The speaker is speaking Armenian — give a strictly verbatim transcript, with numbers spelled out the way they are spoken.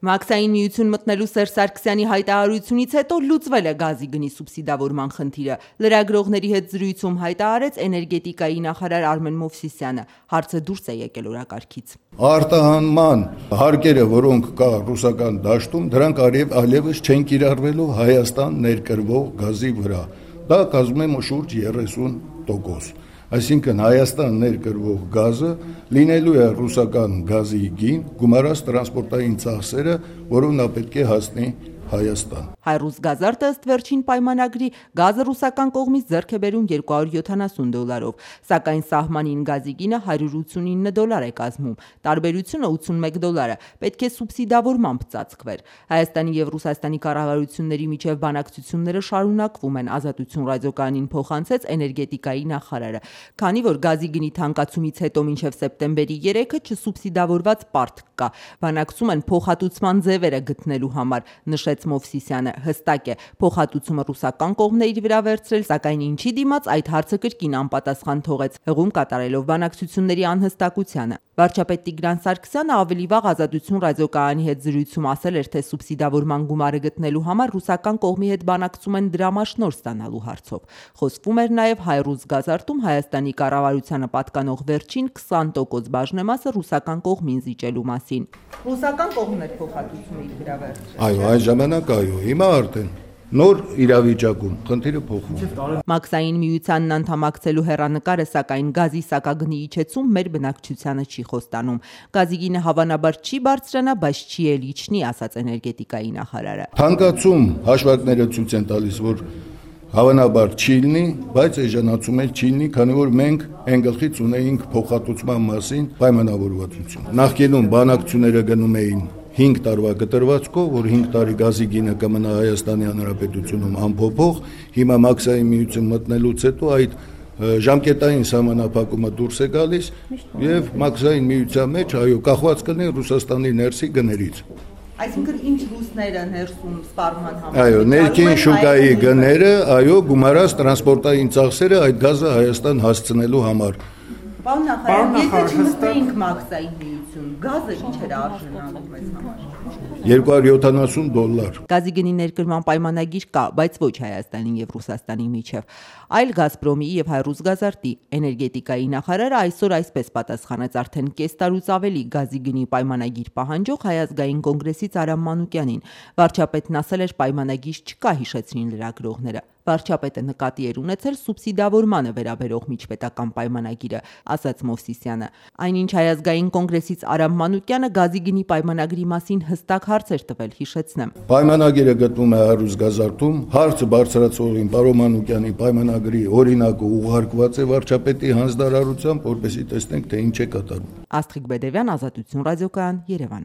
Մաքսային միություն մտնելու Սերժ Սարգսյանի հայտարարությունից հետո լուծվել է գազի գնի սուբսիդավորման խնդիրը։ Լրագրողների հետ զրույցում հայտարարեց էներգետիկայի նախարար Արմեն Մովսիսյանը։ Հարցը դուրս է եկել օրակարգից։ Արտահանման հարկերը, որոնք կա ռուսական դաշտում, դրանք այլևս չեն կիրառվելու Հայաստան ներկրվող գազի վրա։ Դա կազմում է շուրջ երեսուն տոկոս։ Այսինքն Հայաստան ներկրվող գազը լինելու է ռուսական գազի գին, գումարած տրանսպորտային ծախսերը, որով նա պետք է հասնի Հայաստան։ Հայրուս Գազարտը ըստ վերջին պայմանագրի գազը ռուսական կողմից ձեռք է բերում երկու հարյուր յոթանասուն դոլարով, սակայն սահմանին գազի գինը հարյուր ութսունինը դոլար է կազմում, տարբերությունը ութսունմեկ դոլար է, պետք է սուբսիդավորմամբ ծածկվեր։ Հայաստանի եւ Ռուսաստանի կառավարությունների միջև բանակցությունները շարունակվում են, Ազատություն ռադիոկայանին փոխանցեց էներգետիկայի նախարարը, քանի որ գազի գնի թանկացումից հետո մինչև սեպտեմբերի երեքը չսուբսիդավորված պարտք կա, բանակցում են փոխհատուցման ձևերը գտնելու համար, նշեց Մովսիսյանը։ Հստակ է, փոխհատուցումը ռուսական կողմն է իր վրա վերցրել, սակայն ինչի դիմաց այդ հարցը կրկին անպատասխան թողեց, հղում կատարելով բանակցությունների անհստակությանը։ Վարչապետ Տիգրան Սարգսյանը ավելի վաղ Ազատություն ռադիոկայանի հետ զրույցում ասել էր, թե սուբսիդավորման գումարը գտնելու համար ռուսական կողմի հետ բանակցում են դրամաշնորհ ստանալու հարցով։ Խոսվում էր նաև Հայրուս Գազարտում Հայաստանի կառավարությանը պատկանող վերջին քսան տոկոս բաժնեմասը ռուսական կողմին զիջելու մասին։ Ռուսական կողմն էր փոխհատուցումը իր վրա վերցրել։ Այո, այն ժամանակ այո, հիմա արդեն նոր իրավիճակում խնդիրը փոխվում է։ Մաքսային միությանն անդամակցելու հեռանկարը սակայն գազի սակագնի իջեցում մեր բնակչությանը չի խոստանում։ Գազի գինը հավանաբար չի բարձրանա, բայց չի էլ իջնի, ասաց էներգետիկայի նախարարը։ Թանկացում հաշվարկները ցույց են տալիս, որ հավանաբար չի լինի, բայց էժանացում էլ չի լինի, քանի որ մենք այն գլխից ունեինք փոխհատուցման մասին պայմանավորվածություն։ Նախկինում բանակցությունները գնում էին հինգ տարվա կտրվածքով, որ հինգ տարի գազի գինը կմնա Հայաստանի Հանրապետությունում անփոփոխ, հիմա Մաքսային միություն մտնելուց հետո այդ ժամկետային սահմանափակումը դուրս է գալիս եւ Մաքսային միության մեջ այո կախված կլինի Ռուսաստանի ներսի գներից։ Այսինքն ինչ ռուսները ներսում սպառման համար։ Այո, ներքին շուկայի գները, այո, գումարած տրանսպորտային ծախսերը այդ գազը Հայաստան հասցնելու համար։ Պարոն նախարար, եթե չմտնեինք Մաքսային միություն, գազը ինչ էր արժանանում մեզ համար։ երկու հարյուր յոթանասուն դոլար։ Գազի գնի ներկրման պայմանագիր կա, բայց ոչ Հայաստանի եւ Ռուսաստանի միջև, այլ Գազպրոմի եւ Հայրուս Գազարտի։ Էներգետիկայի նախարարը այսօր այսպես պատասխանեց արդեն կես տարուց ավելի գազի գնի պայմանագիր պահանջող Հայ ազգային կոնգրեսից Արամ Մանուկյանին։ Վարչապետն ասել էր պայմանագիր չկա, հիշեցրին լրագրողները։ Վարչապետը նկատի էր ունեցել սուբսիդավորմանը վերաբերող միջպետական պայմանագիրը, ասաց Մովսիսյանը։ Այնինչ Հայ ազգային կոնգրեսից Արամ Մանուկյանը գազի գնի պայմանագրի մասին հստակ հարց էր տվել, հիշեցնեմ։ Պայմանագիրը գտնվում է Հայրուս Գազարտում, հարցը բարձրացողին պարոն Մանուկյանի պայմանագրի օրինակը ուղարկված է վարչապետի հանձնարարությամբ, որպեսզի տեսնենք, թե ինչ է կատարվում։ Աստղիկ Բեդևյան, Ազատություն ռադիոկայան, Երևան։